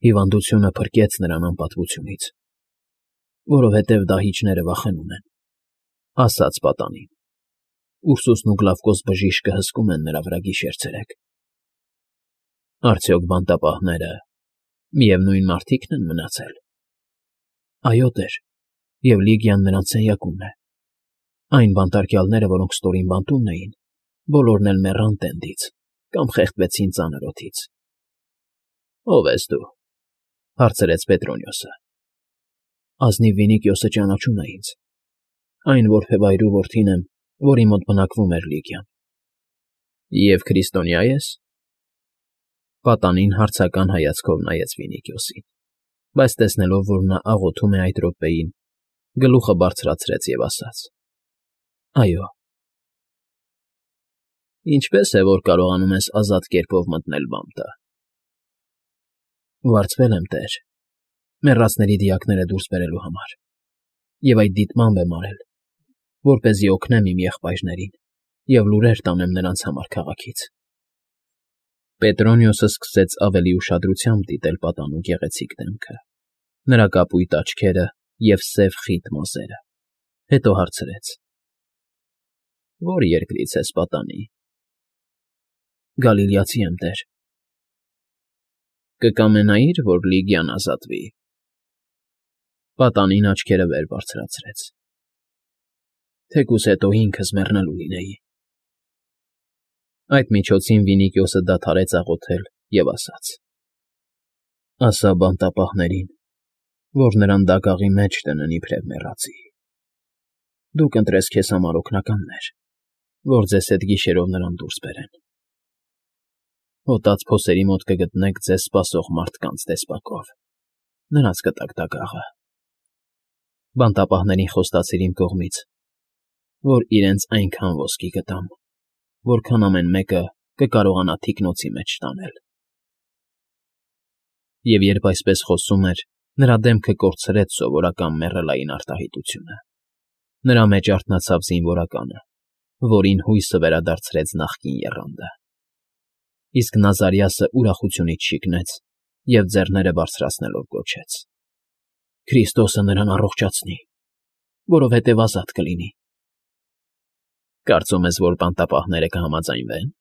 Հիվանդությունը փրկեց նրան անպատվությունից, որովհետև դահիճները վախենում են, ասաց պատանին, ուսուսն ու Գլավկոս բժիշկը հսկում են նրա վրա գիշեր֊ցերեկ։ Արդյոք բանտապահները միևնույն մարդիկ՞ն են մնացել։ Այո, տեր, և Լիգիան նրանց սենյակումն է։ Այն բանտարկյալները, որոնք ստորին բանտումն էին, բոլորն էլ մեռան տենդից կամ խեղդվեցին ծանր օդից։ Ո՞վ ես դու,֊ հարցրեց Պետրոնիոսը։ Ազնիվ Վինիկիոսը ճանաչում է ինձ, այն որբևայրու որդին եմ, որի մոտ բնակվում էր Լիգիան։ Եվ քրիստոնյա ես։ Պատանին հարցական հայացքով նայեց Վինիկիոսին, բայց տեսնելով, որ նա աղոթում է այդ րոպեին, գլուխը բարձրացրեց և ասաց. Այո։ Ինչպե՞ս է, որ կարողանում ես ազատ կերպով մտնել բանտը։ Վարձվել եմ, տեր, մեռածների դիակները դուրս բերելու համար, և այդ դիտմամբ եմ արել, որպեսզի օգնեմ իմ եղբայրներին և լուրեր տանեմ նրանց համար քաղաքից։ Պետրոնիոսը սկսեց ավելի ուշադրությամբ դիտել պատանու գեղեցիկ դեմքը, նրա կապույտ աչքերը և սև խիտ մազերը, հետո հարցրեց. Ո՞ր երկրից ես, պատանի։ Գալիլեացի եմ, տեր։ Կկամենայի՞ր, որ Լիգիան ազատվի։ Պատանին աչքերը վեր բարձրացրեց։ Թեկուզ հետո ինքս մեռնելու լինեի։ Այդ միջոցին Վինիկիոսը դադարեց աղոթել և ասաց. Ասա բանտապահներին, որ նրան դագաղի մեջ դնեն իբրև մեռածի։ Դուք ընտրես քեզ համար օգնականներ, որ ձեզ հետ գիշերով նրան դուրս բերեն։ Հոտած փոսերի մոտ կգտնեք ձեզ սպասող մարդկանց տեսակով, նրանց կտաք դագաղը։ Բանտապահներին խոստացիր իմ կողմից, որ իրենց այնքան ոսկի կտամ, որքան ամեն մեկը կկարողանա թիկնոցի մեջ տանել։ Եվ երբ այսպես խոսում էր, նրա դեմքը կորցրեց սովորական մեռելային արտահայտությունը։ Նրա մեջ արթնացավ զինվորականը, որին հույսը վերադարձրեց նախկին եռանդը։ Իսկ Նազարիասը ուրախությունից շիկնեց և ձեռները բարձրացնելով գոչեց. Քրիստոսը նրան առողջացնի, որովհետև ազատ կլինի։ Կարծում ես, որ բանտապահները կհամաձայնվեն,֊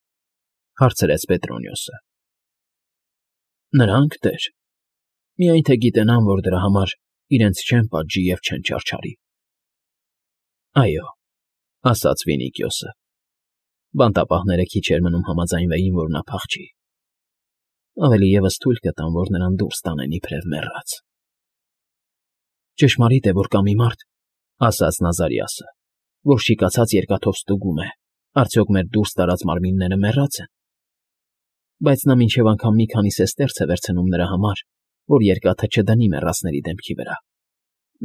հարցրեց Պետրոնիոսը։ Նրանք, տեր, միայն թե գիտենան, որ դրա համար իրենց չեն պատժի և չեն չարչարի։ Այո, ասաց Վինիկիոսը, բանտապահները քիչ էր մնում համաձայնվեին, որ նա փախչի։ Ավելի ևս թույլ կտան, որ նրան դուրս տանեն իբրև մեռած։ Ճշմարիտ է, որ կա մի մարդ, ասաց Նազարիասը, որ շիկացած երկաթով ստուգում է, արդյոք մեր դուրս տարած մարմինները մեռած են։ Բայց նա մինչև անգամ մի քանի սեստերց է վերցնում նրա համար, որ երկաթը չդնի մեռածների դեմքի վրա։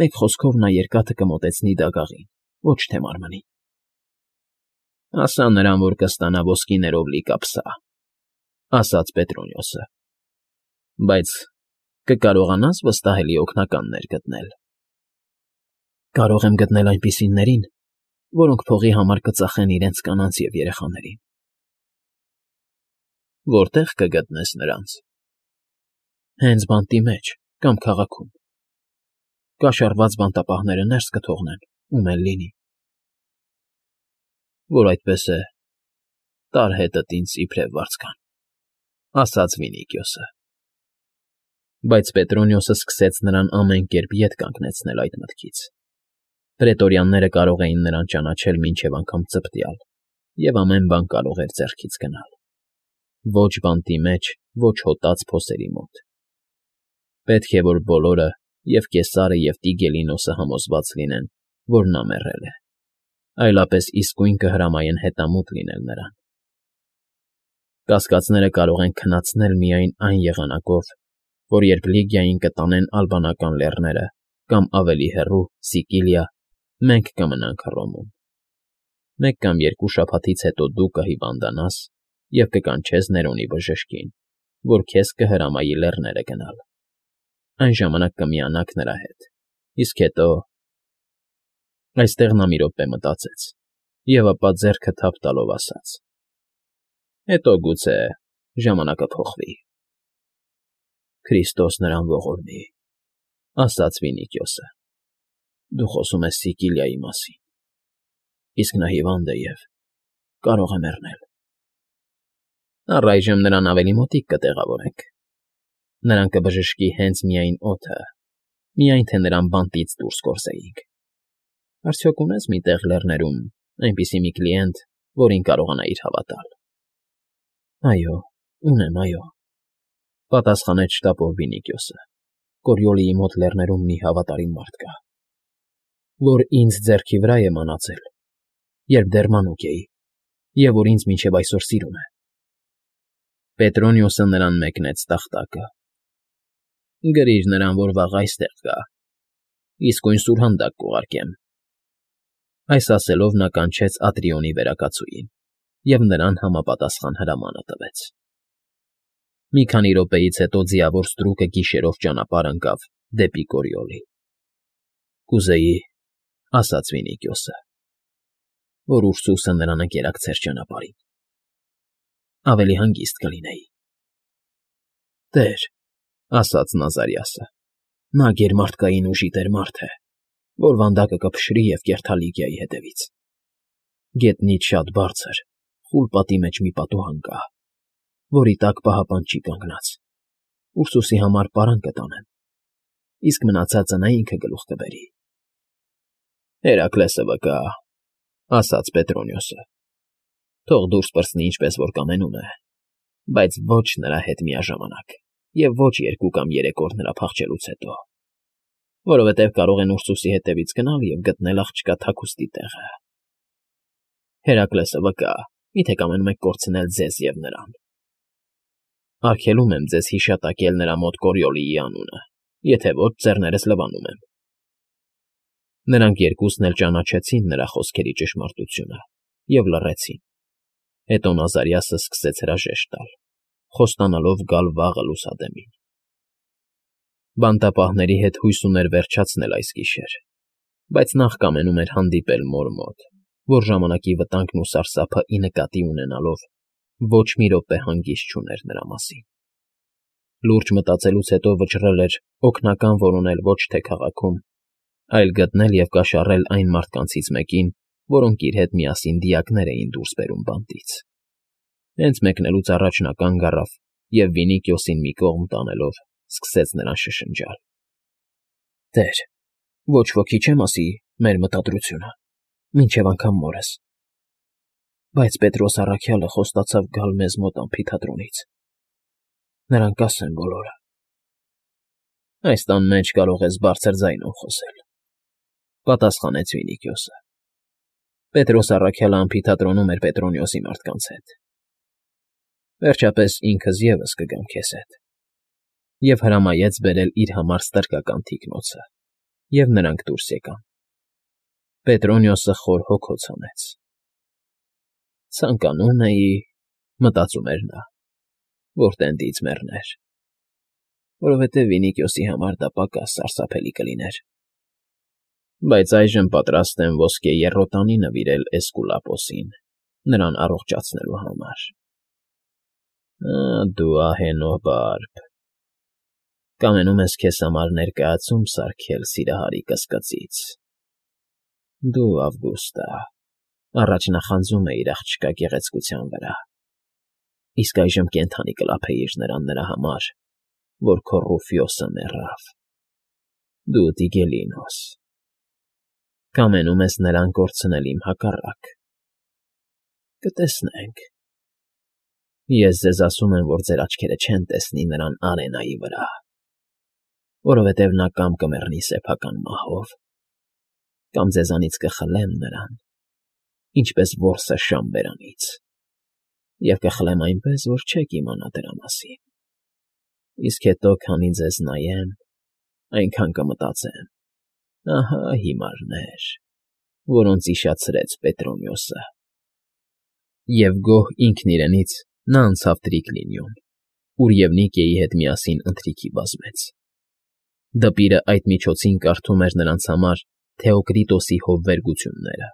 Մեկ խոսքով նա երկաթը կմոտեցնի դագաղին, ոչ թե մարմնին։ Ասա նրան, որ կստանա ոսկիներով լի կապսա, ասաց Պետրոնիոսը։ Բայց կկարողանա՞ս վստահելի օգնականներ գտնել։ Կարող եմ գտնել այնպիսիներին, որոնք փողի համար կծախեն իրենց կանանց և երեխաներին։ Որտե՞ղ կգտնես նրանց։ Հենց բանտի մեջ կամ քաղաքում։ Կաշառված բանտապահները ներս կթողնեն, ում էլ լինի։ Որ այդպես է, տար հետդ ինձ իբրև վարձկան, ասաց Վինիկիոսը։ Բայց Պետրոնիոսը սկսեց նրան ամեն կերպ ետ կանգնեցնել այդ մտքից։ Պրետորյանները կարող էին նրան ճանաչել մինչև անգամ ծպտյալ, և ամեն բան կարող էր ձեռքից գնալ։ Ոչ բանտի մեջ, ոչ հոտած փոսերի մոտ։ Պետք է, որ բոլորը, և Կեսարը, և Տիգելինոսը համոզված լինեն, որ նա մեռել է, այլապես իսկույն կհրամայեն հետամուտ լինել նրան։ Կասկածները կարող են քնացնել միայն այն եղանակով, որ երբ Լիգիային կտանեն ալբանական լեռները կամ ավելի հեռու Սիկիլիա, մենք կմնանք Հռոմում։ Մեկ կամ երկու շաբաթից հետո դու կհիվանդանաս և կկանչես Ներոնի բժշկին, որ քեզ կհրամայի լեռները գնալ։ Այն ժամանակ կմիանաք նրա հետ, իսկ հետո… Այստեղ նա մի րոպե մտածեց և ապա ձեռքը թափ տալով ասաց. Հետո գուցե ժամանակը փոխվի։ Քրիստոս նրան ողորմի, ասաց Վինիքիոսը։ Դու խոսում ես Սիկիլիայի մասին, իսկ նա հիվանդ է և կարող է մեռնել։ Առայժմ նրան ավելի մոտիկ կտեղավորենք։ Նրան կբժշկի հենց միայն օդը, միայն թե նրան բանտից դուրս գործեինք։ Արդյոք ունես մի տեղ լեռներում այնպիսի մի կլիենտ, որին կարողանայիր հավատալ։ Այո, ունեմ, այո, պատասխանեց շտապով Վինիքիոսը։ Կորիոլիի մոտ լեռներում մի հավատարիմ մարդ կա, որ ինձ ձեռքի վրա է մնացել, երբ դեռ մանուկ էի, և որ ինձ մինչև այսօր սիրում է։ Պետրոնիոսը նրան մեկնեց տախտակը։ Գրիր նրան, որ վաղ այստեղ գա, իսկույն սուրհանդակ կուղարկեմ։ Այս ասելով նա կանչեց Ատրիոնի վերակացուին և նրան համապատասխան հրամանը տվեց։ Մի քանի րոպեից հետո ձիավոր ստրուկը գիշերով ճանապարհ ընկավ դեպի Կորիոլի։ Կուզեի, ասաց Վինիքիոսը, որ Ուրսուսը նրան ընկերակցեր ճանապարհին։ Ավելի հանգիստ կլինեի։ Տեր, ասաց Նազարիասը, նա գերմարդկային ուժի տեր մարդ է, որ վանդակը կփշրի և կերթալի գայի հետևից։ Գետնից շատ բարձր, խուլ պատի մեջ մի պատուհան կա, որի տակ պահապան չի կանգնած։ Ուրսուսի համար պարան կտանեմ, իսկ մնացածը նա ինքը գլուխ կբերի։ Հերակլեսը վկա, ասաց Պետրոնիոսը, թող դուրս պրծնի ինչպես որ կամենում է, բայց ոչ նրա հետ միաժամանակ և ոչ 2 կամ 3 օր նրա փախչելուց հետո, որովհետև կարող են Ուրսուսի հետևից գնալ և գտնել աղջկա թաքուստի տեղը։ Հերակլեսը վկա, միթե կամենում եք կորցնել ձեզ և նրան։ Արգելում եմ ձեզ հիշատակել նրա մոտ Կորիոլիի անունը, եթե ոչ ձեռներս լվանում եմ։ Նրանք երկուսն էլ ճանաչեցին նրա խոսքերի ճշմարտությունը և լռեցին։ Հետո Նազարիասը սկսեց հրաժեշտ տալ, խոստանալով գալ վաղը լուսադեմին։ Բանտապահների հետ հույս ուներ վերջացնել այս գիշեր, բայց նախ կամենում էր հանդիպել մոր մոտ, որ ժամանակի վտանգն ու սարսափը ի նկատի ունենալով ոչ մի րոպե հանգիստ չուներ նրա մասին։ Լուրջ մտածելուց հետո վճռել էր օգնական որոնել ոչ թե քաղաքում, այլ գտնել և կաշառել այն մարդկանցից մեկին, որոնք իր հետ միասին դիակներ էին դուրս բերում բանտից։ Հենց մեկնելուց առաջ նա կանգ առավ և Վինիքիոսին մի կողմ տանելով սկսեց նրան շշնջալ. Տեր, ոչ ոքի չեմ ասի մեր մտադրությունը, մինչև անգամ մորս։ Բայց Պետրոս առաքյալը խոստացավ գալ մեզ մոտ ամֆիթատրոնից։ Նրան կասեմ բոլորը։ Այս տան մեջ կարող ես բարձր ձայնով խոսել, պատասխանեց Վինիքիոսը։ Պետրոս առաքյալը ամֆիթատրոնում էր Պետրոնիոսի մարդկանց հետ։ Վերջապես ինքս ևս կգամ քեզ հետ։ Եվ հրամայեց բերել իր համար ստրկական թիկնոցը, և նրանք դուրս եկան։ Պետրոնիոսը խոր հոգոց հանեց։ Ցանկանում էի, մտածում էր նա, որ տենդից մեռներ, որովհետև Վինիքիոսի համար դա պակաս սարսափելի կլիներ։ Բայց այժմ պատրաստ եմ ոսկե եռոտանի նվիրել Էսկուլապոսին, նրան առողջացնելու համար։ Դու ահենո բարբ, կամենում ես քեզ համար ներկայացում սարքել սիրահարի կսկծից։ Դու, Ավգուստա, առաջ նախանձում էիր աղջկա գեղեցկության վրա, իսկ այժմ կենդանի կլափեիր նրան նրա համար, որ քո Ռուֆիոսը մեռավ։ Դու Տիգելինոս, կամենում ես նրան կորցնել իմ հակառակ։ Կտեսնենք։ Ես ձեզ ասում եմ, որ ձեր աչքերը չեն տեսնի նրան արենայի վրա, որովհետև նա կամ կմեռնի սեփական մահով, կամ ձեզանից կխլեմ նրան, ինչպես որսը շան բերանից, և կխլեմ այնպես, որ չեք իմանա դրա մասին։ Իսկ հետո, քանի ձեզ նայեմ, այնքան կմտածեմ. ահա հիմարներ, որոնց իշացրեց Պետրոնիոսը։ Եվ գոհ ինքն իրենից նա անցավ Տրիկլինիոն, ուր Եվնիկիայի հետ միասին ընթրիքի բազմեց։ Դպիրը այդ միջոցին կարդում էր նրանց համար Թեոկրիտոսի հովվերգությունները։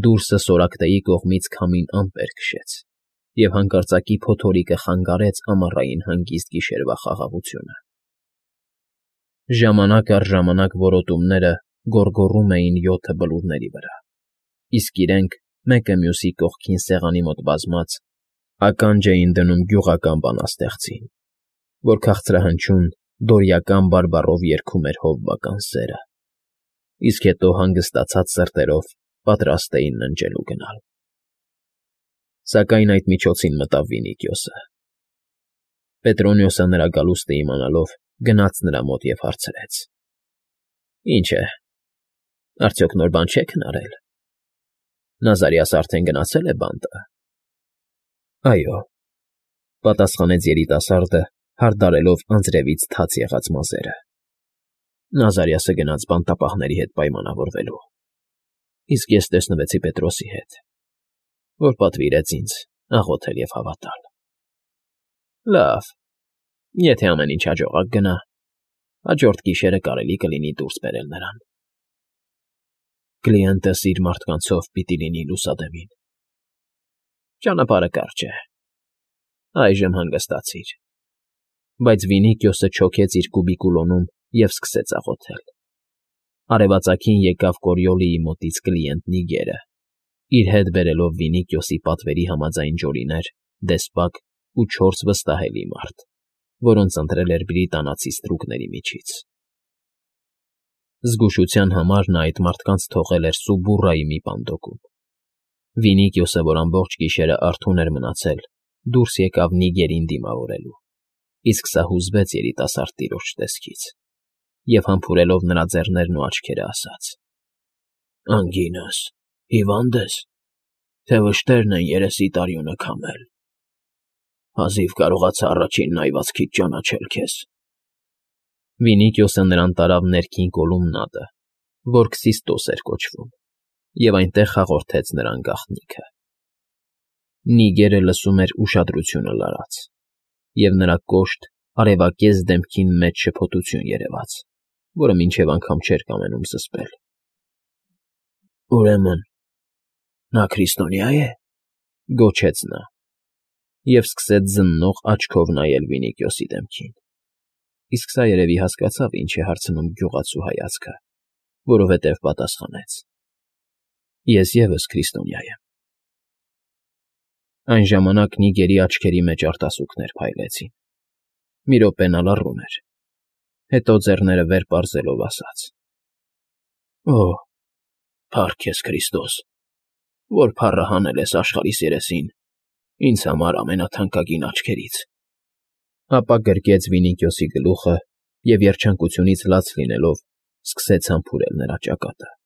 Դուրսը Սորակտեի կողմից քամին ամպեր քշեց, և հանկարծակի փոթորիկը խանգարեց ամառային հանգիստ գիշերվա խաղաղությունը։ Ժամանակ առ ժամանակ որոտումները գոռգոռում էին յոթը բլուրների վրա, իսկ իրենք, մեկը մյուսի կողքին սեղանի մոտ բազմած, ականջ էին դնում գյուղական բանաստեղծին, որ քաղցրահնչյուն դորիական բարբառով երգում էր հովվական սերը, իսկ հետո հանգստացած սրտերով պատրաստ էին ննջելու գնալ։ Սակայն այդ միջոցին մտավ Վինիքիոսը։ Պետրոնիոսը նրա գալուստը իմանալով գնաց նրա մոտ և հարցրեց. «Ինչ է, արդյոք նոր բան չեք հնարել։ Նազարիասը արդեն գնացել է բանտը»։ «Այո», պատասխանեց երիտասարդը, հարդարելով անձրևից թաց եղած մազերը։ «Նազարիասը գնաց բանտապահների հետ պայմանավորվելու, իսկ ես տեսնվեցի Պետրոսի հետ, որ պատվիրեց ինձ աղոթել և հավատալ»։ «Լավ, եթե ամեն ինչ հաջողակ գնա, հաջորդ գիշերը կարելի կլինի դուրս բերել նրան»։ «Կլիենտս իր մարդկանցով պիտի լինի լուսադեմին»։ «Ճանապարհը կարճ է, այժմ հանգստացիր»։ Բայց Վինիքիոսը չոքեց իր կուբիկուլոնում և սկսեց աղոթել։ Արևածագին եկավ Կորիոլիի մոտից կլիենտ Նիգերը, իր հետ բերելով Վինիքիոսի պատվերի համաձայն ջորիներ, դեսպակ ու 4 վստահելի մարդ, որոնց ընտրել էր բրիտանացի ստրուկների միջից։ Զգուշության համար նա այդ մարդկանց թողել էր Սուբուրրայի մի պանդոկում։ Վինիքիոսը, որ ամբողջ գիշերը արթուն էր մնացել, դուրս եկավ Նիգերին դիմավորելու, իսկ սա հուզվեց երիտասարդ տիրոջ տեսքից և համբուրելով նրա ձեռներն ու աչքերը ասաց. «Անգինս, հիվա՞նդ ես, թե վշտերն են երեսիդ արյունը քամել։ Հազիվ կարողացա առաջին նայվածքից ճանաչել քեզ»։ Վինիքիոսը նրան տարավ ներքին կոլումնադը, որ Քսիստոս էր կոչվում, և այնտեղ հաղորդեց նրան գաղտնիքը։ Նիգերը լսում էր ուշադրությունը լարած, և նրա կոշտ, արևակեզ դեմքին մեջ շփոթություն երևաց, որը մինչև անգամ չէր կամենում զսպել։ «Ուրեմն նա քրիստոնյա է», գոչեց նա, և սկսեց զննող աչքով նայել Վինիքիոսի դեմքին, իսկ սա երևի հասկացավ ինչ է հարցնում գյուղացու հայացքը, որովհետև պատասխանեց. «Ես ևս քրիստոնյա եմ»։ Այն ժամանակ Նիգերի աչքերի մեջ արտասուքներ փայլեցին։ Մի րոպե նա լռում էր, հետո ձեռները վեր պարզելով ասաց. «Օ՜, փառք քեզ, Քրիստոս, որ փառը հանել ես աշխարհիս երեսին ինձ համար ամենաթանկագին աչքերից»։ Ապա գրկեց Վինիքիոսի գլուխը և երջանկությունից լաց լինելով սկսեց համբուրել նրա ճակատը։